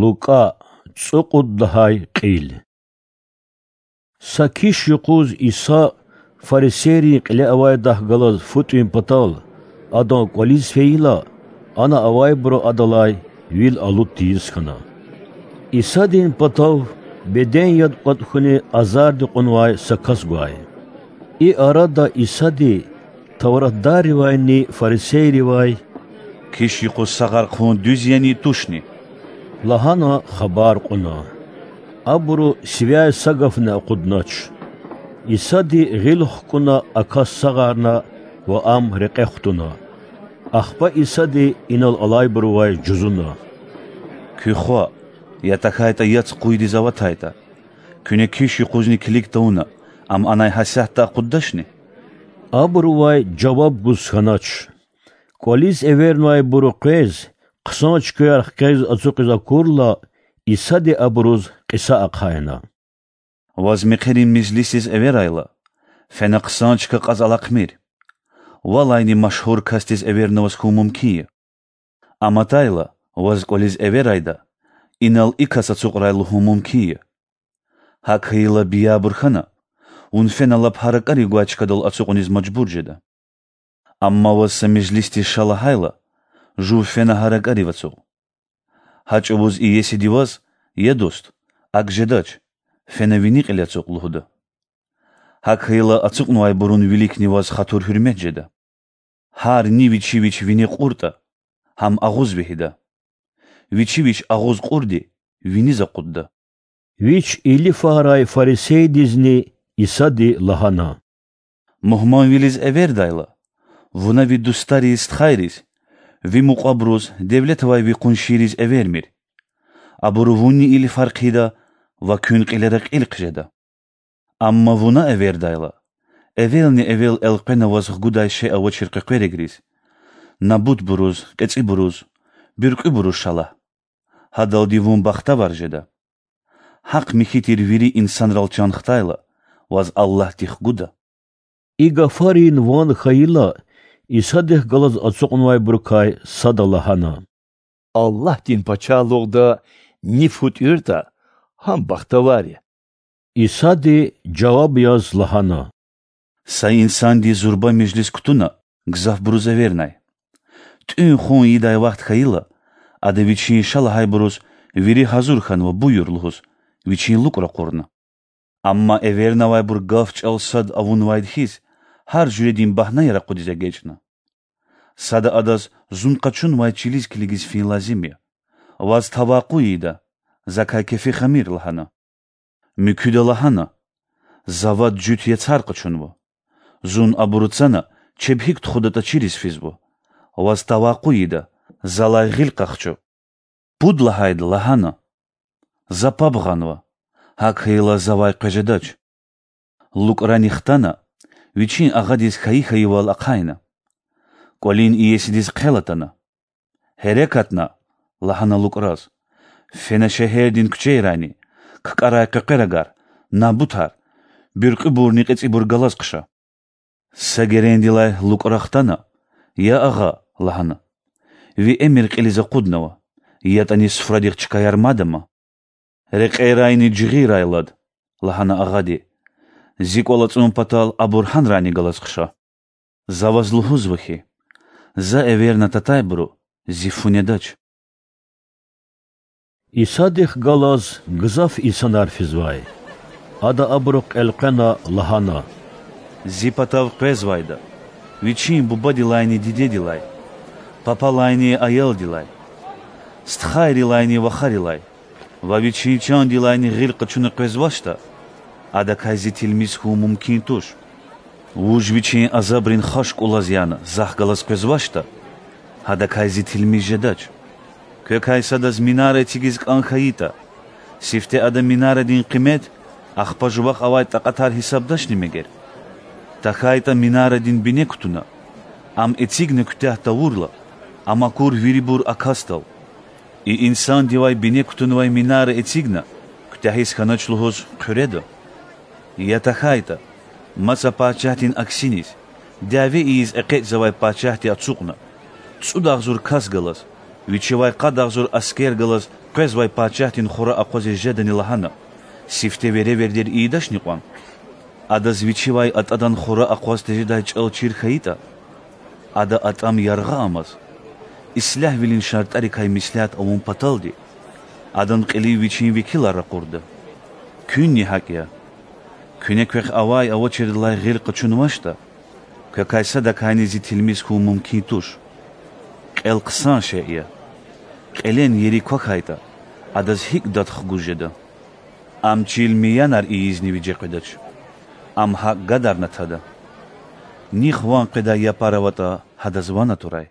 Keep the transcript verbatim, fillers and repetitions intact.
Лукӏа, цӏукьуд лагьай кьил. Са киш юкъуз Иса фарисейрин кьиле авайдахъ галаз фу тӏуьн патал, Адан кӏвализ фейила, ана авайбуру Адалай вил алуд тийиз хьана. Исадин патав беден яд кӏватӏ хьунин азарди кьунвай са кас гвай. И арада Исади тавратдарривайни фарисейривай: Киш юкъуз сагъар хъувун дуьз яни, тушни? лагьана хабар кьуна. Абуру сивяй са гафни акъуднач. Исади гъил хкӏуна а кас сагъарна ва ам рекье хтуна. Ахпа Исади инал алайбурувай жузуна: Куь хва, я тахьайтӏа яц къуйдиз аватайтӏа, куьне киш юкъузни килиг тавуна, ам анай гьасятда акъуддачни? Абурувай жаваб гуз хьанач. КӀвализ эвернавайбуру къвез, хъсан чкаяр хквез ацукьиз акурла, Исади абуруз кьиса ахъайна: Ваз мехъерин межлисдиз эверайла, фена хъсан чка кьаз алахъмир. Валайни машгьур касдиз эвернаваз хьун мумкин я. Ам атайла, ваз кӀвализ эверайда, инал и кас ацукьрай лугьун мумкин я. ГьакӀ хьайила, биябур хьана, вун фена лап гьа ракӀарив гвай чкадал ацукьуниз мажбур жеда. Амма ваз са межлисдиз ша лагьайла, жув фена гьа ракӀарив ацукь. Гьа чӀавуз иесиди ваз: Я дуст, акӀ жедач, фена вини кьил ацукь лугьуда. ГьакӀ хьайила, ацукьнавайбурун виликни ваз хатур-гьуьрмет жеда. Гьар ни вичи вич вине кьуртӀа, гьам агъуз вегьида. Вичи вич агъуз кьурди виниз акъудда. Вич илифарай фарисейдизни Исади лагьана: Мугьманвилиз эвердайла, вуна ви дустариз, стхайриз, ви мукьвабуруз, девлет авай ви къуншийриз эвермир. Абуру вунни илифар хъийида ва куьн кьилера кьил хъжеда. Амма вуна эвердайла, эвелни-эвел элкъвена ваз хгудай шей авачир къекъверагриз, набутбуруз, кьецӀибуруз, буьркьуьбуруз ша лагь. Гьадалди вун бахтавар жеда. Гьахъ-михьи тир вири инсанрал чан хтайла, ваз Аллагьди хгуда. И гафарин ван хьайила, Исадихъ галаз ацукьнавайбурукай сада лагьана: Аллагьдин Пачагьлугъда ни фу тӀуьртӀа, гьам бахтавар я. Исади жаваб яз лагьана: Са инсанди зурба межлис кутуна, гзафбуруз эвернай. ТӀуьн-хъун ийидай вахт хьайила, ада вичин ша лагьайбуруз: Вири гьазур хьанва, буюр, лугьуз, вичин лукӀ ракъурна. Амма эвернавайбур гаф-чӀал сад авунвайди хьиз, гьар жуьредин багьнаяр акъудиз эгечӀна. Сада адаз: Зун къачунвай чилиз килигиз фин лазим я. Ваз тавакъу ийида, закай кефи хамир, лагьана. Муькуьда лагьана: За вад-жуьт яцар къачунва. Зун абуру цана, чеб гьикӀ тухудатӀа чириз физва. Ваз тавакъу ийида, залай гъил къахчу. Пуд лагьайда лагьана: За паб гъанва, гьакӀ хьайила, завай къвез жедач. ЛукӀрани хтана, вичин агъадиз хьайи-хьайивал ахъайна. КӀвалин иесидиз хъел атана. Гьерекатна, лагьана лукӀраз, фена шегьердин куьчейрайни, ккӀарай къекъверагар, набутар, буьркьуьбурни кьецӀибур галаз хъша. Са герендилай лукӀра хтана: Я агъа, лагьана, ви эмир кьилиз акъуднава, ятӀани суфрадихъ чкаяр мад ама. Рекьерайни жигъирай лад, лагьана агъади, зи кӀвал ацӀун патал абур гьанрайни галаз хъша. За ваз лугьузва хьи, за эверна татайбуру зи фу недач. Исадихъ галаз гзаф инсанар физвай. Ада абурухъ элкъвена лагьана: Зи патав къвезвайда, вичин бубадилайни дидедилай, папалайни аялдилай, стхайрилайни вахарилай ва вичин чандилайни гъил къачуна къвезвачтӀа, адакай зи тилмиз хьун мумкин туш. Вуж вичин азабрин хашк улаз яна захъ галаз къвезвачтӀа, гьадакай зи тилмиз жедач. Квекай садаз минар эцигиз кӀан хьайитӀа, сифте ада минарадин къимет, ахпа жувахъ авай такьатар гьисабдачни мегер? ТахьайтӀа минарадин бине кутуна, ам эцигна куьтягь тавурла, ам акур вирибур а касдал. И инсандивай бине кутунвай минара эцигна куьтягьиз хьанач лугьуз хъуьреда? Я тахьайтӀа, маса пачагьдин аксиниз, дяве ийиз экъечӀзавай пачагьди ацукьна, цӀуд агъзур кас галаз, вичивай къад агъзур аскер галаз Къвезвай пачагьдин хура акъвазиз жедани лагьана, сифте веревирдер ийидачни кьван? Адаз вичивай атӀадан хура акъваз тежедай чӀал чир хьайитӀа, ада атӀам яргъа амаз, ислягьвилин шартӀарикай меслят авун паталди, адан кьилив вичин векилар ракъурда. Куьнни гьакӀ я. Куьне квехъ авай-авачирдилай гъил къачунвачтӀа, квекай садакайни зи тилмиз хьун мумкин туш. Кьел хъсан шей я. Кьелен ери квахьайтӀа, адаз гьикӀ дад хгуз жеда? Ам чил миянар ийизни виже къведач. Ам гьакӀ гадарна тада. Нихъ ван къведай япар аватӀа, гьадаз ван атурай.